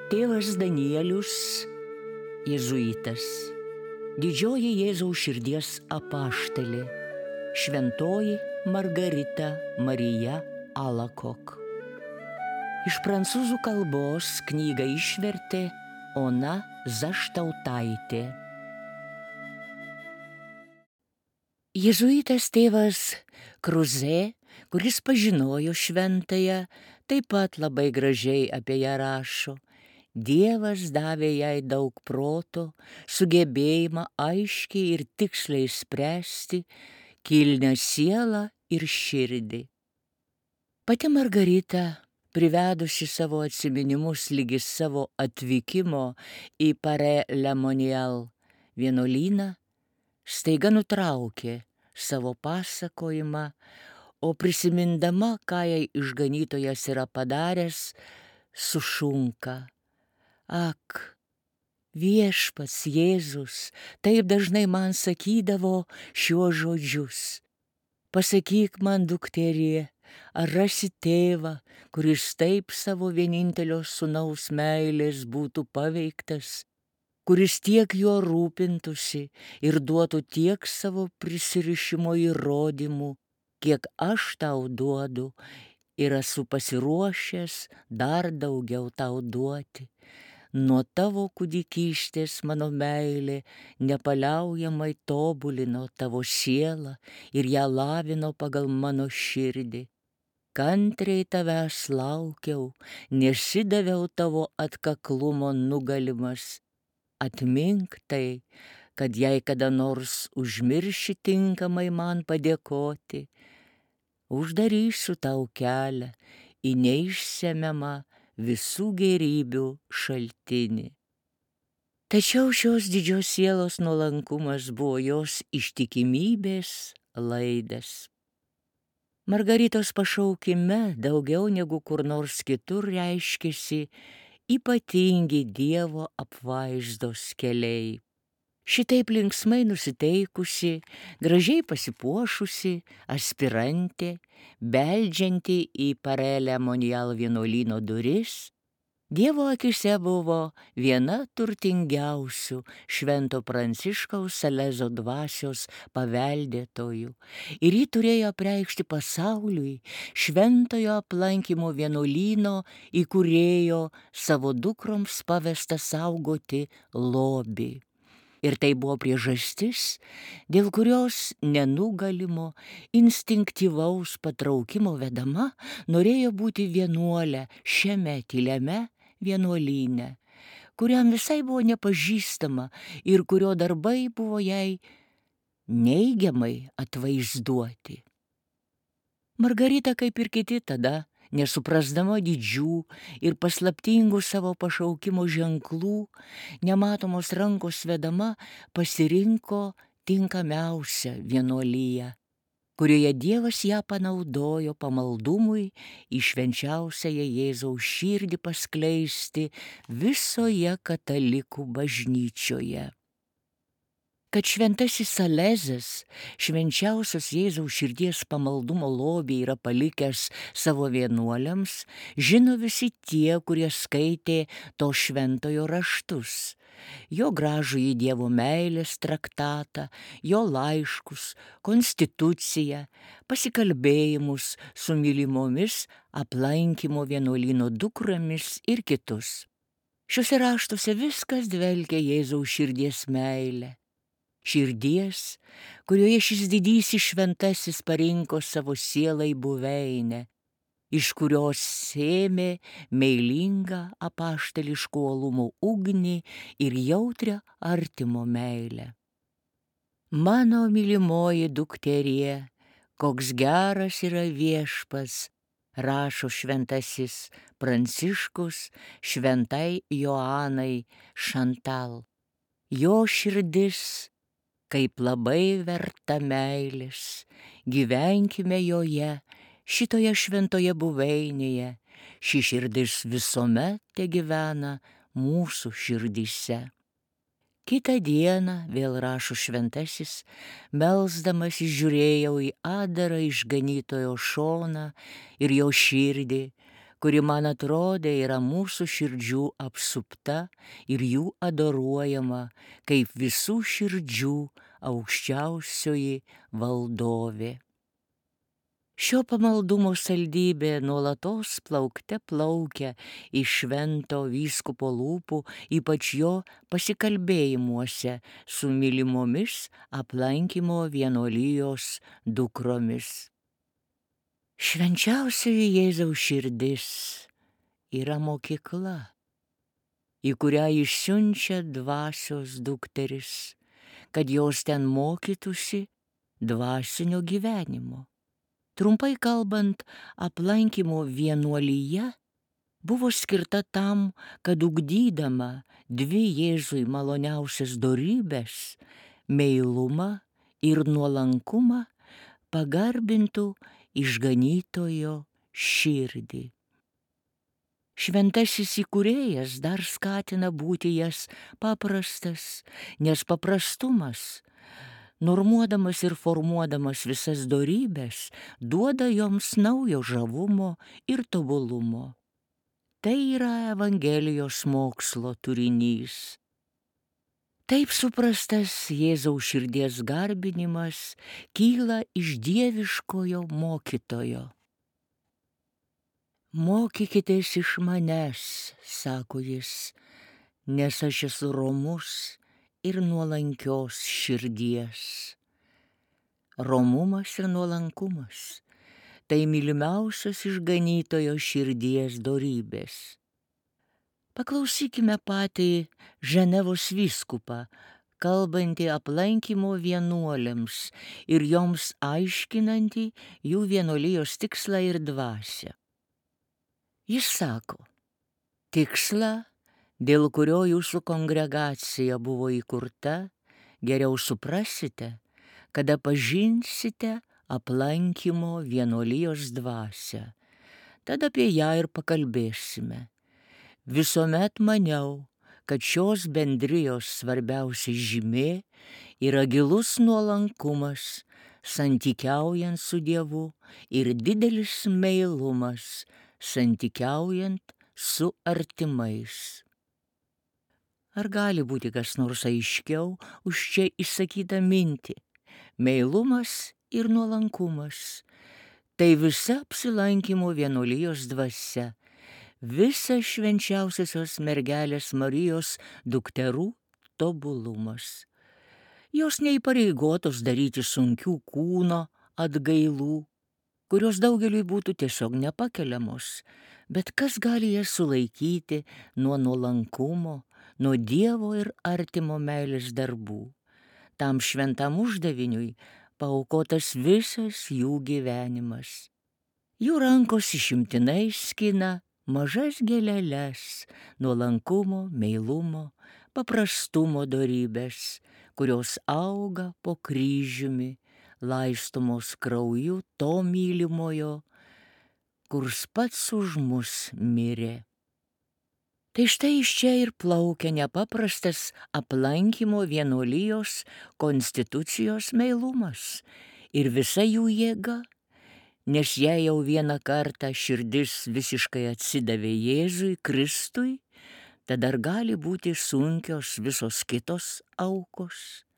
Tėvas Danielius, jėzuitas, didžioji Jėzaus širdies apaštalė, šventoji Margarita Marija Alakok. Iš prancūzų kalbos knygą išvertė Ona Zaštautaitė. Jėzuitas tėvas Kruzė, kuris pažinojo šventąją, taip pat labai gražiai apie ją rašo. Dievas davė jai daug proto, sugebėjimą aiškiai ir tiksliai spręsti kilnią sielą ir širdį. Pati Margarita, privedusi savo atsiminimus ligi savo atvykimo į Paré-le-Monial vienuolyną, staiga nutraukė savo pasakojimą, o prisimindama, ką jai išganytojas yra padaręs, sušunka: Ak, Viešpats Jėzus taip dažnai man sakydavo šiuos žodžius: pasakyk man, dukterie, ar rasi tėvą, kuris taip savo vienintelio sūnaus meilės būtų paveiktas, kuris tiek juo rūpintųsi ir duotų tiek savo prisirišimo įrodymų, kiek aš tau duodu ir esu pasiruošęs dar daugiau tau duoti. Nuo tavo kūdikystės mano meilė nepaliaujamai tobulino tavo sielą ir ją lavino pagal mano širdį. Kantriai tavęs laukiau, nesidaviau tavo atkaklumo nugalimas. Atmink tai, kad jei kada nors užmirši tinkamai man padėkoti, uždarysiu tau kelią į neišsemiamą visų gėrybių šaltinį. Tačiau šios didžios sielos nuolankumas buvo jos ištikimybės laidas. Margaritos pašaukime daugiau negu kur nors kitur reiškėsi ypatingi Dievo apvaizdos keliai. Šitaip linksmai nusiteikusi, gražiai pasipuošusi aspirantė, beldžianti į Paré-le-Monial vienuolyno duris, Dievo akise buvo viena turtingiausių Švento Pranciškaus Salezo dvasios paveldėtojų, ir ji turėjo apreikšti pasauliui šventojo aplankymo vienuolyno įkūrėjo savo dukroms pavesta saugoti lobį. Ir tai buvo priežastis, dėl kurios nenugalimo, instinktyvaus patraukimo vedama norėjo būti vienuolė šiame tyliame vienuolyne, kuriam visai buvo nepažįstama ir kurio darbai buvo jai neigiamai atvaizduoti. Margarita, kaip ir kiti tada, nesuprasdama didžių ir paslaptingų savo pašaukimo ženklų, nematomos rankos vedama pasirinko tinkamiausią vienuoliją, kurioje Dievas ją panaudojo pamaldumui į švenčiausiąją Jėzaus širdį paskleisti visoje katalikų bažnyčioje. Kad šventasis Salezas švenčiausios Jėzaus širdies pamaldumo lobį yra palikęs savo vienuoliams, žino visi tie, kurie skaitė to šventojo raštus, jo gražųjį Dievo meilės traktatą, jo laiškus, konstituciją, pasikalbėjimus su mylimomis aplankymo vienuolyno dukromis ir kitus. Šiuose raštuose viskas dvelkia Jėzaus širdies meilę. Širdies, kurioje šis didysis šventasis parinko savo sielai buveinę, iš kurios sėmė meilingą apaštališko uolumo ugnį ir jautrią artimo meilę. Mano mylimoji dukterie, koks geras yra Viešpats, rašo šventasis Pranciškus šventai Joanai Šantal. Jo širdis kaip labai verta meilės, gyvenkime joje, šitoje šventoje buveinėje, ši širdis visuomet tegyvena mūsų širdyse. Kitą dieną, vėl rašo šventasis, melsdamas žiūrėjau į atdarą išganytojo šoną ir jo širdį, kuri man atrodė yra mūsų širdžių apsupta ir jų adoruojama kaip visų širdžių aukščiausioji valdovė. Šio pamaldumo saldybė nuolatos plaukte plaukia iš švento vyskupo lūpų, ypač jo pasikalbėjimuose su mylimomis aplankymo vienuolijos dukromis. Švenčiausioji Jėzaus širdis yra mokykla, į kurią išsiunčia dvasios dukteris, kad jos ten mokytųsi dvasinio gyvenimo. Trumpai kalbant, aplankymo vienuolija buvo skirta tam, kad ugdydama dvi Jėzui maloniausias dorybes – meilumą ir nuolankumą – pagarbintų išganytojo širdį. Šventasis įkūrėjas dar skatina būti jas paprastas, nes paprastumas, normuodamas ir formuodamas visas dorybes, duoda joms naujo žavumo ir tobulumo. Tai yra Evangelijos mokslo turinys. Taip suprastas Jėzaus širdies garbinimas kyla iš dieviškojo mokytojo. Mokykitės iš manęs, sako jis, nes aš esu romus ir nuolankios širdies. Romumas ir nuolankumas – tai mylimiausios išganytojo širdies dorybės. Paklausykime patį Ženevos vyskupą, kalbantį aplankymo vienuoliams ir joms aiškinantį jų vienuolijos tikslą ir dvasią. Jis sako, tikslą, dėl kurio jūsų kongregacija buvo įkurta, geriau suprasite, kada pažinsite aplankymo vienuolijos dvasią. Tad apie ją ir pakalbėsime. Visuomet maniau, kad šios bendrijos svarbiausia žymė yra gilus nuolankumas, santykiaujant su Dievu ir didelis meilumas, santykiaujant su artimais. Ar gali būti kas nors aiškiau už čia išsakytą mintį? Meilumas ir nuolankumas – tai visa apsilankymo vienuolijos dvasia, visa švenčiausiosios mergelės Marijos dukterų tobulumas. Jos neįpareigotos daryti sunkių kūno atgailų, kurios daugeliui būtų tiesiog nepakeliamos, bet kas gali jas sulaikyti nuo nuolankumo, nuo Dievo ir artimo meilės darbų. Tam šventam uždaviniui paaukotas visas jų gyvenimas. Jų rankos išimtinai skina mažas gėleles, nuolankumo, meilumo, paprastumo dorybės, kurios auga po kryžiumi, laistomos krauju to mylimojo, kurs pats už mus mirė. Tai štai iš čia ir plaukia nepaprastas aplankymo vienuolijos konstitucijos meilumas ir visa jų jėga, nes jei jau vieną kartą širdis visiškai atsidavė Jėzui Kristui, tada dar gali būti sunkios visos kitos aukos.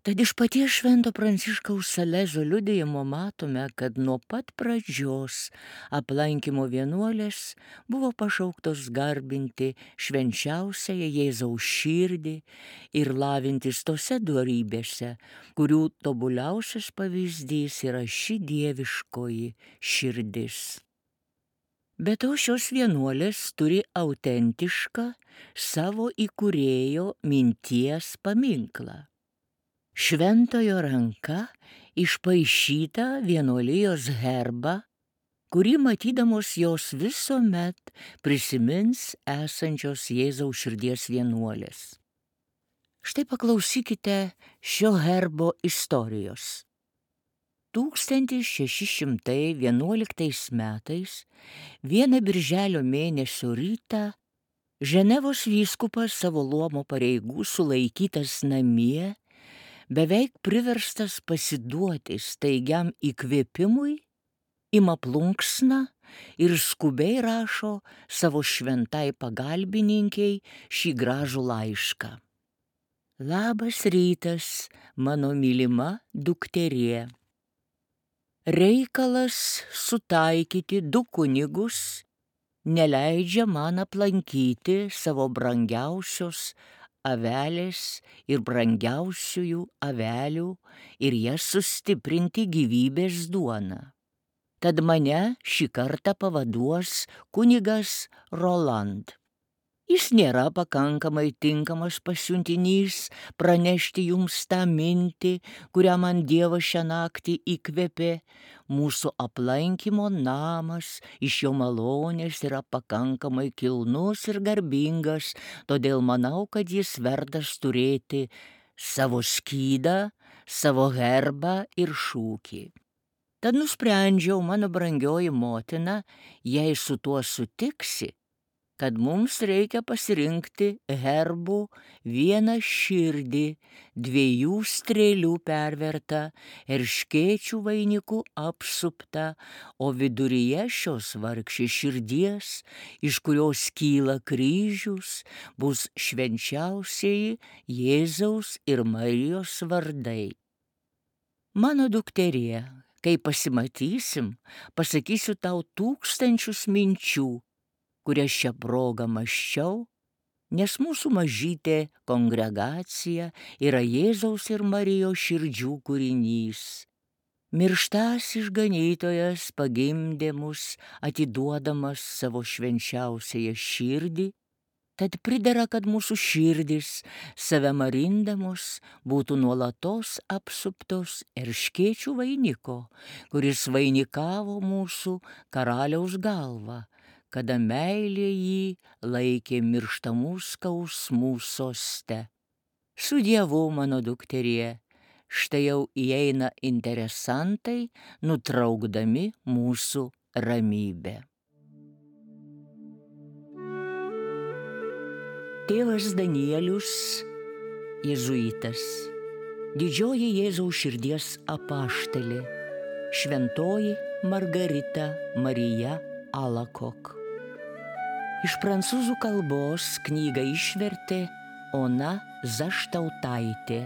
Tad iš paties Švento Pranciškaus Salezo liudijimo matome, kad nuo pat pradžios aplankymo vienuolės buvo pašauktos garbinti švenčiausiąją Jėzaus širdį ir lavintis tose dorybėse, kurių tobuliausias pavyzdys yra ši dieviškoji širdis. Be to šios vienuolės turi autentišką savo įkūrėjo minties paminklą. Šventojo ranka išpaišyta vienuolijos herbą, kurį matydamos jos visuomet prisimins esančios Jėzaus širdies vienuolės. Štai paklausykite šio herbo istorijos. 1611 metais, vieną birželio mėnesio rytą, Ženevos vyskupas savo luomo pareigų sulaikytas namie, beveik priverstas pasiduoti staigiam įkvėpimui, ima plunksną ir skubiai rašo savo šventai pagalbininkiai šį gražų laišką. Labas rytas, mano mylima dukterie. Reikalas sutaikyti du kunigus neleidžia man aplankyti savo brangiausios avelės ir brangiausiųjų avelių ir jas sustiprinti gyvybės duona. Tad mane šį kartą pavaduos kunigas Roland. Jis nėra pakankamai tinkamas pasiuntinys pranešti jums tą mintį, kurią man Dievas šią naktį įkvėpė. Mūsų aplankymo namas iš jo malonės yra pakankamai kilnus ir garbingas, todėl manau, kad jis vertas turėti savo skydą, savo herbą ir šūkį. Tad nusprendžiau, mano brangioji motina, jei su tuo sutiksi, kad mums reikia pasirinkti herbų vieną širdį, 2 strėlių pervertą, erškėčių vainikų apsuptą, o viduryje šios vargšės širdies, iš kurios kyla kryžius, bus švenčiausieji Jėzaus ir Marijos vardai. Mano dukterie, kai pasimatysim, pasakysiu tau tūkstančius minčių, kurias šią progą mąsčiau, nes mūsų mažytė kongregacija yra Jėzaus ir Marijos širdžių kūrinys. Mirštas išganytojas pagimdė mus, atiduodamas savo švenčiausiąją širdį, tad pridera, kad mūsų širdis, save marindamos, būtų nuolatos apsuptos erškėčių vainiko, kuris vainikavo mūsų karaliaus galvą, kada meilė jį laikė mirštamų skausmų soste. Su Dievu, mano dukterie, štai jau įeina interesantai, nutraukdami mūsų ramybę. Tėvas Danielius, jėzuitas, didžioji Jėzaus širdies apaštalė, šventoji Margarita Marija Alakok. Iš prancūzų kalbos knygą išvertė Ona Zaštautaitė.